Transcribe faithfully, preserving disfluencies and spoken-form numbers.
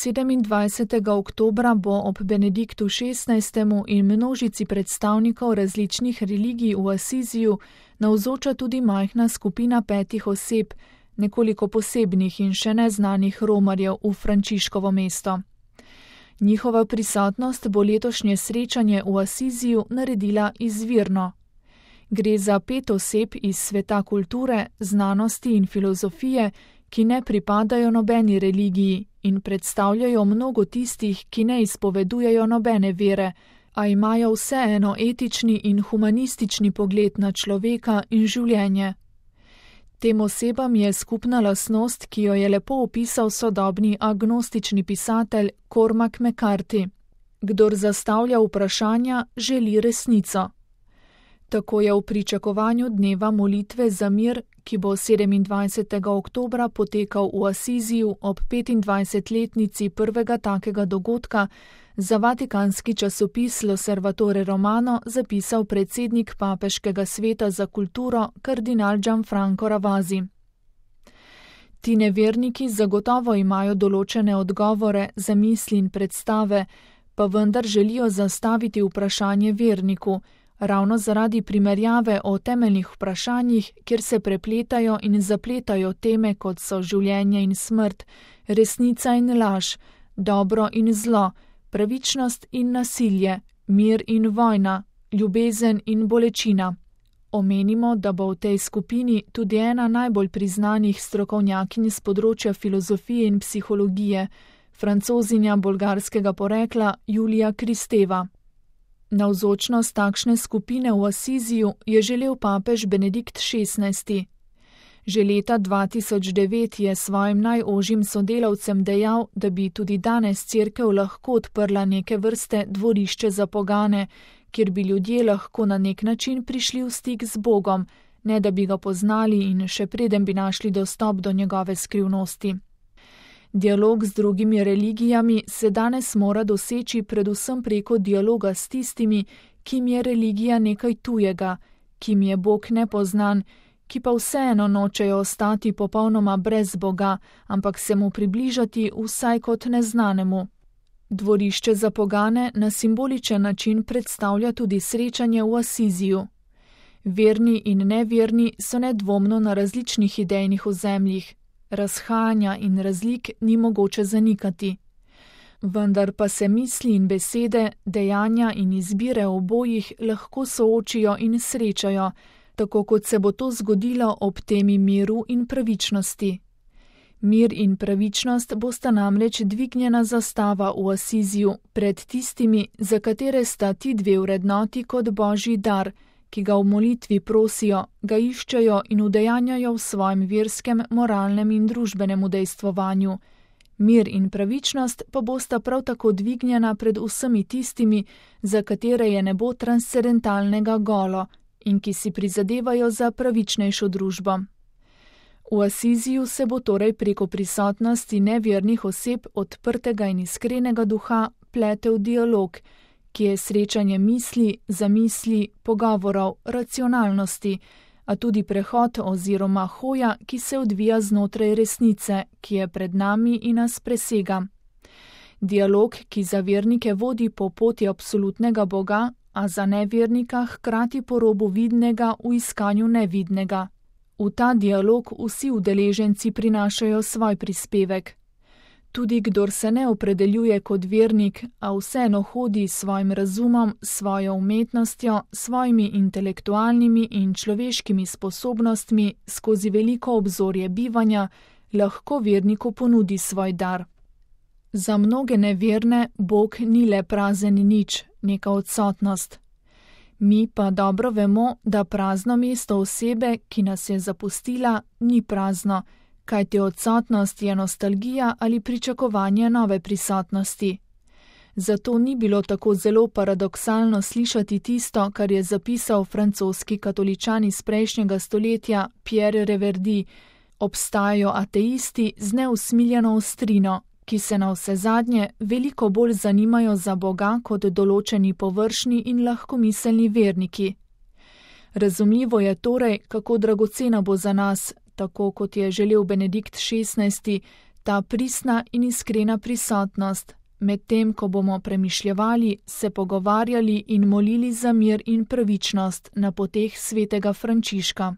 sedemindvajsetega oktobra bo ob Benediktu šestnajstemu in množici predstavnikov različnih religij v Asiziju navzoča tudi majhna skupina petih oseb, nekoliko posebnih in še neznanih romarjev v Frančiškovo mesto. Njihova prisotnost bo letošnje srečanje v Asiziju naredila izvirno. Gre za pet oseb iz sveta kulture, znanosti in filozofije, ki ne pripadajo nobeni religiji in predstavljajo mnogo tistih, ki ne izpovedujejo nobene vere, a imajo vseeno etični in humanistični pogled na človeka in življenje. Tem osebam je skupna lastnost, ki jo je lepo opisal sodobni agnostični pisatelj Cormac McCarthy. Kdor zastavlja vprašanja, želi resnico. Tako je v pričakovanju dneva molitve za mir, ki bo sedemindvajsetega oktobra potekal v Asiziju ob petindvajsetletnici prvega takega dogodka, za vatikanski časopis L'Osservatore Romano zapisal predsednik Papeškega sveta za kulturo kardinal Gianfranco Ravasi. Ti neverniki zagotovo imajo določene odgovore, zamisli in predstave, pa vendar želijo zastaviti vprašanje verniku, ravno zaradi primerjave o temeljnih vprašanjih, kjer se prepletajo in zapletajo teme, kot so življenje in smrt, resnica in laž, dobro in zlo, pravičnost in nasilje, mir in vojna, ljubezen in bolečina. Omenimo, da bo v tej skupini tudi ena najbolj priznanih strokovnjakinj s področja filozofije in psihologije, Francozinja bolgarskega porekla Julija Kristeva. Navzočnost takšne skupine v Asiziju je želel papež Benedikt šestnajsti. Že leta dva tisoč devet je svojim najožjim sodelavcem dejal, da bi tudi danes cerkev lahko odprla neke vrste dvorišče za pogane, kjer bi ljudje lahko na nek način prišli v stik z Bogom, ne da bi ga poznali in še preden bi našli dostop do njegove skrivnosti. Dialog z drugimi religijami se danes mora doseči predvsem preko dialoga s tistimi, kim je religija nekaj tujega, kim je Bog nepoznan, ki pa vseeno nočejo ostati popolnoma brez Boga, ampak se mu približati vsaj kot neznanemu. Dvorišče za pogane na simboličen način predstavlja tudi srečanje v Asiziju. Verni in neverni so nedvomno na različnih idejnih ozemljih. Razhajanja in razlik ni mogoče zanikati. Vendar pa se misli in besede, dejanja in izbire obojih lahko soočijo in srečajo, tako kot se bo to zgodilo ob temi miru in pravičnosti. Mir in pravičnost bosta namreč dvignjena zastava v Asiziju pred tistimi, za katere sta ti dve vrednoti kot božji dar, ki ga v molitvi prosijo, ga iščejo in udejanjajo v svojem verskem, moralnem in družbenem udejstvovanju. Mir in pravičnost pa bosta prav tako dvignjena pred vsemi tistimi, za katere je nebo transcendentalnega golo in ki si prizadevajo za pravičnejšo družbo. V Asiziju se bo torej preko prisotnosti nevernih oseb odprtega in iskrenega duha pletel dialog, ki je srečanje misli, zamisli, pogovorov, racionalnosti, a tudi prehod oziroma hoja, ki se odvija znotraj resnice, ki je pred nami in nas presega. Dialog, ki za vernike vodi po poti absolutnega Boga, a za nevernika hkrati po robu vidnega v iskanju nevidnega. V ta dialog vsi udeleženci prinašajo svoj prispevek. Tudi kdor se ne opredeljuje kot vernik, a vseeno hodi s svojim razumom, svojo umetnostjo, svojimi intelektualnimi in človeškimi sposobnostmi skozi veliko obzorje bivanja, lahko verniku ponudi svoj dar. Za mnoge neverne Bog ni le prazen nič, neka odsotnost. Mi pa dobro vemo, da prazno mesto osebe, ki nas je zapustila, ni prazno, kajti odsotnost je nostalgija ali pričakovanje nove prisotnosti. Zato ni bilo tako zelo paradoksalno slišati tisto, kar je zapisal francoski katoličan iz prejšnjega stoletja Pierre Reverdy: obstajajo ateisti z neusmiljeno ostrino, ki se na vsezadnje veliko bolj zanimajo za Boga kot določeni površni in lahkomiselni verniki. Razumljivo je torej, kako dragocena bo za nas, tako kot je želel Benedikt šestnajsti, ta pristna in iskrena prisotnost, medtem ko bomo premišljevali, se pogovarjali in molili za mir in pravičnost na poteh svetega Frančiška.